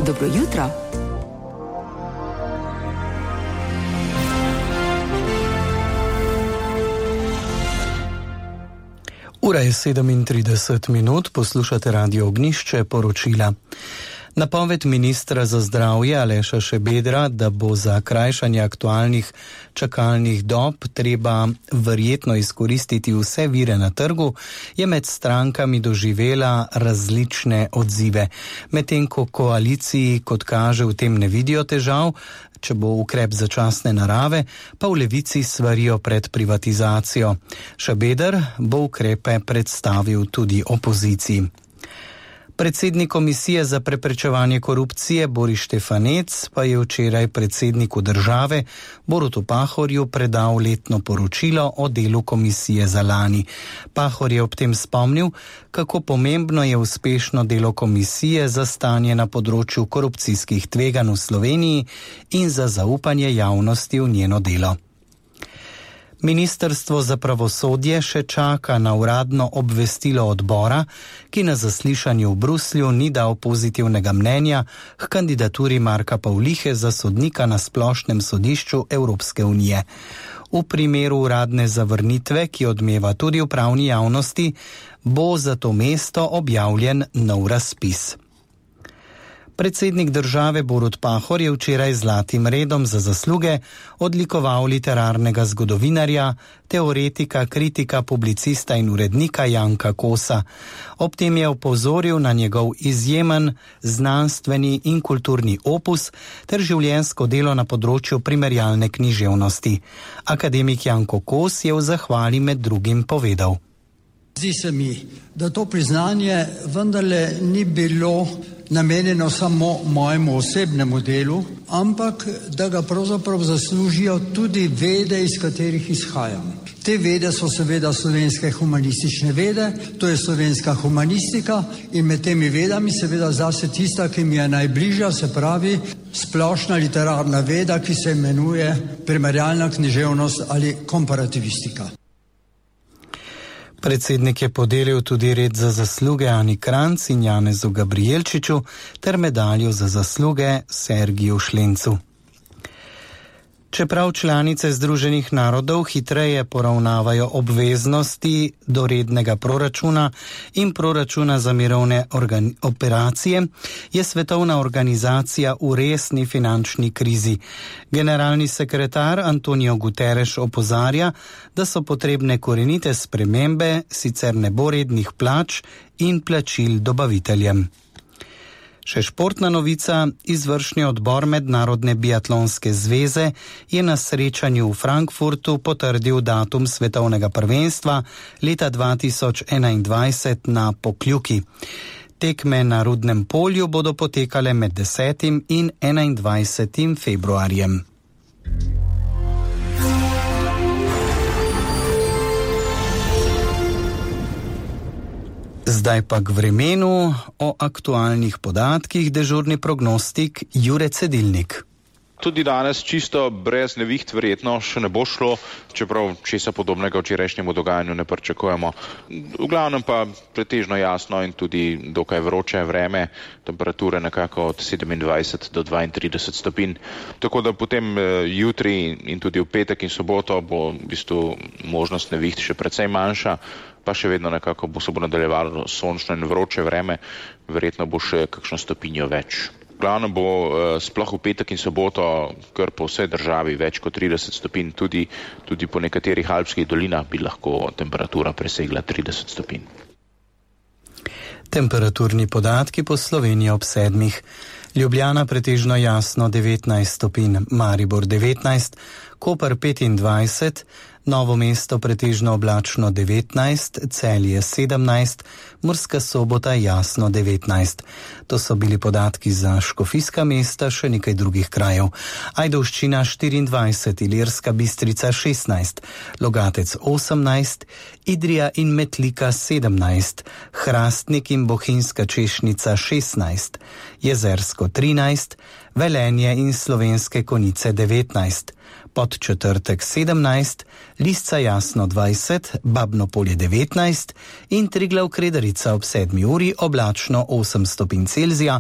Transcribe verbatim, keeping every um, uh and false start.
Dobro jutro. Ura je sedemintrideset minut, poslušate Radio Ognjišče, poročila. Napoved ministra za zdravje Aleša Šabedra, da bo za krajšanje aktualnih čakalnih dob treba verjetno izkoristiti vse vire na trgu, je med strankami doživela različne odzive. Medtem ko koaliciji, kot kaže, v tem ne vidijo težav, če bo ukrep začasne narave, pa v Levici svarijo pred privatizacijo. Šabeder bo ukrepe predstavil tudi opoziciji. Predsednik Komisije za preprečevanje korupcije Boris Štefanec pa je včeraj predsedniku države Borutu Pahorju predal letno poročilo o delu komisije za lani. Pahor je ob tem spomnil, kako pomembno je uspešno delo komisije za stanje na področju korupcijskih tveganj v Sloveniji in za zaupanje javnosti v njeno delo. Ministrstvo za pravosodje še čaka na uradno obvestilo odbora, ki na zaslišanju v Bruslju ni dal pozitivnega mnenja k kandidaturi Marka Pavlihe za sodnika na Splošnem sodišču Evropske unije. V primeru uradne zavrnitve, ki odmeva tudi v pravni javnosti, bo za to mesto objavljen nov razpis. Predsednik države Borut Pahor je včeraj z zlatim redom za zasluge odlikoval literarnega zgodovinarja, teoretika, kritika, publicista in urednika Janka Kosa. Ob tem je opozoril na njegov izjemen znanstveni in kulturni opus ter življenjsko delo na področju primerjalne književnosti. Akademik Janko Kos je v zahvali med drugim povedal. Zdi se mi, da to priznanje vendarle ni bilo namenjeno samo mojemu osebnemu delu, ampak da ga pravzaprav zaslužijo tudi vede, iz katerih izhajam. Te vede so seveda slovenske humanistične vede, to je slovenska humanistika in med temi vedami seveda zase tista, ki mi je najbližja, se pravi splošna literarna veda, ki se imenuje primerjalna književnost ali komparativistika. Predsednik je podelil tudi red za zasluge Ani Kranjc in Janezu Gabrijelčiču ter medaljo za zasluge Sergiju Šlencu. Čeprav članice Združenih narodov hitreje poravnavajo obveznosti do rednega proračuna in proračuna za mirovne organi- operacije, je svetovna organizacija v resni finančni krizi. Generalni sekretar Antonio Guterres opozarja, da so potrebne korenite spremembe, sicer ne bo rednih plač in plačil dobaviteljem. Še športna novica, izvršni odbor Mednarodne biatlonske zveze je na srečanju v Frankfurtu potrdil datum svetovnega prvenstva leta dva tisoč enaindvajset na Pokljuki. Tekme na Rudnem polju bodo potekale med desetim in enaindvajsetim februarjem. Zdaj pa k vremenu, o aktualnih podatkih dežurni prognostik Jure Cedilnik. Tudi danes čisto brez neviht verjetno še ne bo šlo, čeprav česa podobnega včerajšnjemu dogajanju ne pričakujemo. V glavnem pa pretežno jasno in tudi dokaj vroče vreme, temperature nekako od sedemindvajset do dvaintrideset stopinj. Tako da potem jutri in tudi v petek in soboto bo v bistvu možnost neviht še precej manjša, pa še vedno nekako bo se bo nadaljevalo sončno in vroče vreme, verjetno bo še kakšno stopinjo več. Glavno bo eh, sploh v petek in soboto kar po vsej državi več kot trideset stopinj, tudi, tudi po nekaterih alpskih dolinah bi lahko temperatura presegla trideset stopinj. Temperaturni podatki po Sloveniji ob sedmih. Ljubljana pretežno jasno devetnajst stopinj, Maribor devetnajst, Koper petindvajset, Novo mesto pretežno oblačno devetnajst, Celje sedemnajst, Murska Sobota jasno devetnajst. To so bili podatki za škofijska mesta, še nekaj drugih krajev. Ajdovščina štiriindvajset, Ilirska Bistrica šestnajst, Logatec osemnajst, Idrija in Metlika sedemnajst, Hrastnik in Bohinjska Češnica šestnajst, Jezersko trinajst, Velenje in Slovenske Konjice devetnajst, Podčetrtek sedemnajst, Lisca Jasno dvajset, Babno Polje devetnajst in Triglav Kredarica ob sedmi uri oblačno osem stopinj Celzija,